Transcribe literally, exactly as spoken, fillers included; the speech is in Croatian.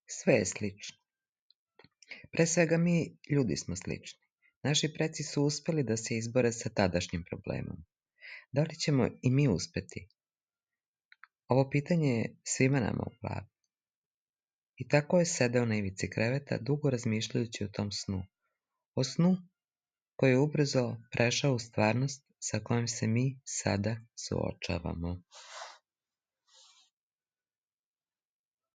Sve je slično. Pre svega mi, ljudi, smo slični. Naši preci su uspeli da se izbore sa tadašnjim problemom. Da li ćemo i mi uspeti? Ovo pitanje je svima nama u glavi. I tako je sedeo na ivici kreveta, dugo razmišljajući o tom snu. O snu koji je ubrzo prešao u stvarnost sa kojom se mi sada suočavamo.